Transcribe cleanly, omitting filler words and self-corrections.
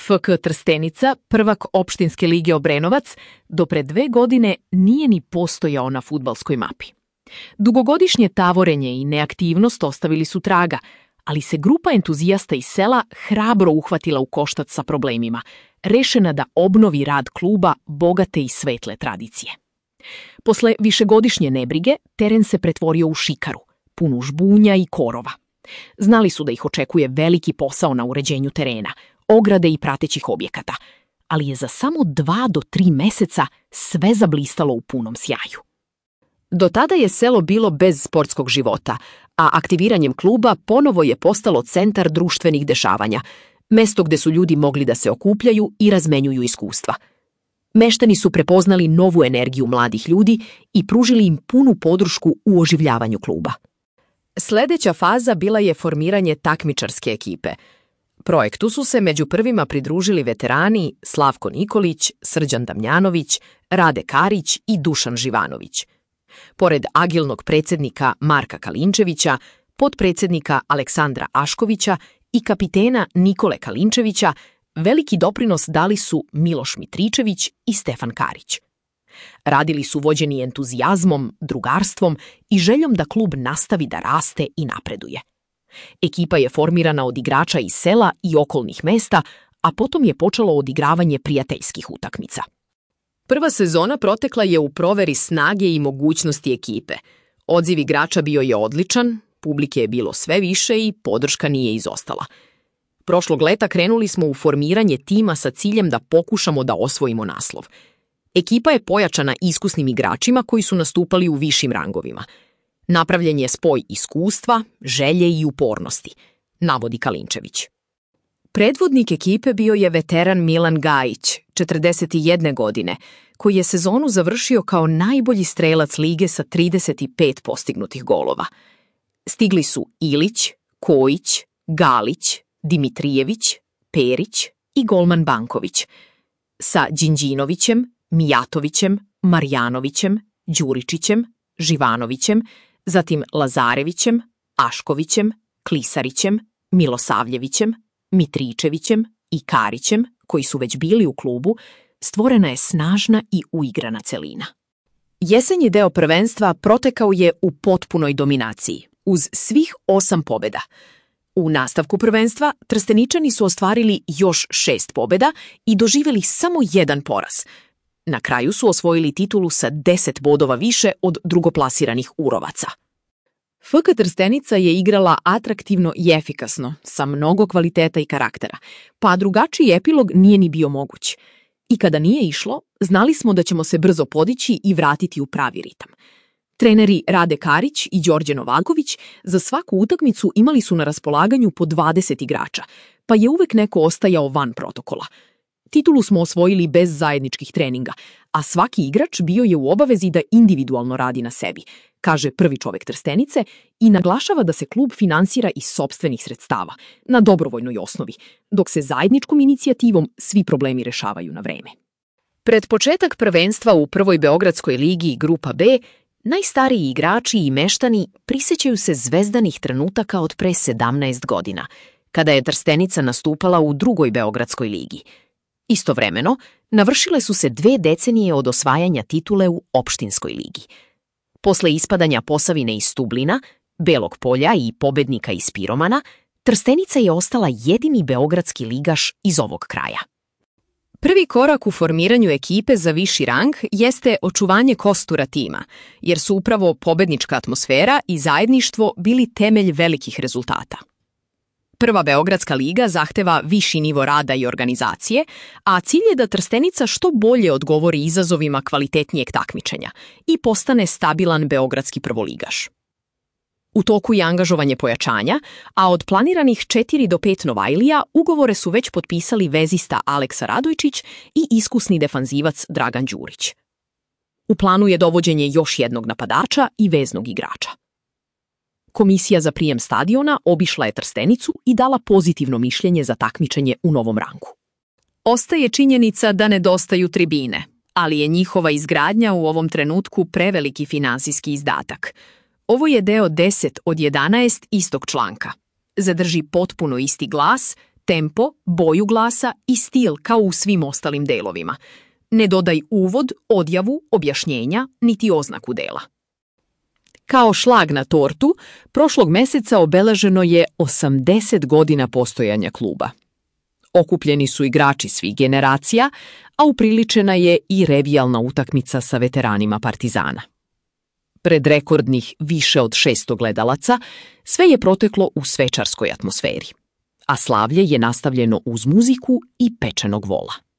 FK Trstenica, prvak opštinske lige Obrenovac, do pre 2 godine nije ni postojao na fudbalskoj mapi. Dugogodišnje tavorenje i neaktivnost ostavili su traga, ali se grupa entuzijasta iz sela hrabro uhvatila u koštac sa problemima, rešena da obnovi rad kluba bogate i svetle tradicije. Posle višegodišnje nebrige, teren se pretvorio u šikaru, punu žbunja i korova. Znali su da ih očekuje veliki posao na uređenju terena, ograde i pratećih objekata, ali je za samo 2 do 3 meseca sve zablistalo u punom sjaju. Do tada je selo bilo bez sportskog života, a aktiviranjem kluba ponovo je postalo centar društvenih dešavanja, mesto gde su ljudi mogli da se okupljaju i razmenjuju iskustva. Meštani su prepoznali novu energiju mladih ljudi i pružili im punu podršku u oživljavanju kluba. Sledeća faza bila je formiranje takmičarske ekipe. Projektu su se među prvima pridružili veterani Slavko Nikolić, Srđan Damjanović, Rade Karić i Dušan Živanović. Pored agilnog predsjednika Marka Kalinčevića, potpredsjednika Aleksandra Aškovića i kapitena Nikole Kalinčevića, veliki doprinos dali su Miloš Mitričević i Stefan Karić. Radili su vođeni entuzijazmom, drugarstvom i željom da klub nastavi da raste i napreduje. Ekipa je formirana od igrača iz sela i okolnih mesta, a potom je počelo odigravanje prijateljskih utakmica. Prva sezona protekla je u proveri snage i mogućnosti ekipe. Odziv igrača bio je odličan, publike je bilo sve više i podrška nije izostala. Prošlog leta krenuli smo u formiranje tima sa ciljem da pokušamo da osvojimo naslov. Ekipa je pojačana iskusnim igračima koji su nastupali u višim rangovima. Napravljen je spoj iskustva, želje i upornosti, navodi Kalinčević. Predvodnik ekipe bio je veteran Milan Gajić, 41 godine, koji je sezonu završio kao najbolji strelac lige sa 35 postignutih golova. Stigli su Ilić, Kojić, Galić, Dimitrijević, Perić i golman Banković. Sa Đinđinovićem, Mijatovićem, Marjanovićem, Đuričićem, Živanovićem, zatim Lazarevićem, Aškovićem, Klisarićem, Milosavljevićem, Mitričevićem i Karićem, koji su već bili u klubu, stvorena je snažna i uigrana celina. Jesenji deo prvenstva protekao je u potpunoj dominaciji, uz svih 8 pobjeda. U nastavku prvenstva Trsteničani su ostvarili još 6 pobjeda i doživjeli samo 1 poraz. Na kraju su osvojili titulu sa 10 bodova više od drugoplasiranih Urovaca. FK Trstenica je igrala atraktivno i efikasno, sa mnogo kvaliteta i karaktera, pa drugačiji epilog nije ni bio moguć. I kada nije išlo, znali smo da ćemo se brzo podići i vratiti u pravi ritam. Treneri Rade Karić i Đorđe Novaković za svaku utakmicu imali su na raspolaganju po 20 igrača, pa je uvek neko ostajao van protokola. Titulu smo osvojili bez zajedničkih treninga, a svaki igrač bio je u obavezi da individualno radi na sebi, kaže prvi čovek Trstenice i naglašava da se klub finansira iz sopstvenih sredstava, na dobrovoljnoj osnovi, dok se zajedničkom inicijativom svi problemi rešavaju na vreme. Pred početak prvenstva u prvoj Beogradskoj ligi Grupa B, najstariji igrači i meštani prisećaju se zvezdanih trenutaka od pre 17 godina, kada je Trstenica nastupala u drugoj Beogradskoj ligi. Istovremeno, navršile su se 2 decenije od osvajanja titule u opštinskoj ligi. Posle ispadanja Posavine iz Stublina, Belog Polja i pobednika iz Piromana, Trstenica je ostala jedini beogradski ligaš iz ovog kraja. Prvi korak u formiranju ekipe za viši rang jeste očuvanje kostura tima, jer su upravo pobednička atmosfera i zajedništvo bili temelj velikih rezultata. Prva Beogradska liga zahteva viši nivo rada i organizacije, a cilj je da Trstenica što bolje odgovori izazovima kvalitetnijeg takmičenja i postane stabilan beogradski prvoligaš. U toku je angažovanje pojačanja, a od planiranih 4 do 5 Novajlija ugovore su već potpisali vezista Aleksa Radojčić i iskusni defanzivac Dragan Đurić. U planu je dovođenje još jednog napadača i veznog igrača. Komisija za prijem stadiona obišla je Trstenicu i dala pozitivno mišljenje za takmičenje u novom rangu. Ostaje činjenica da nedostaju tribine, ali je njihova izgradnja u ovom trenutku preveliki finansijski izdatak. Ovo je deo 10 od 11 istog članka. Zadrži potpuno isti glas, tempo, boju glasa i stil kao u svim ostalim delovima. Ne dodaj uvod, odjavu, objašnjenja, niti oznaku dela. Kao šlag na tortu, prošlog meseca obeleženo je 80 godina postojanja kluba. Okupljeni su igrači svih generacija, a upriličena je i revijalna utakmica sa veteranima Partizana. Pred rekordnih više od 600 gledalaca, sve je proteklo u svečarskoj atmosferi, a slavlje je nastavljeno uz muziku i pečenog vola.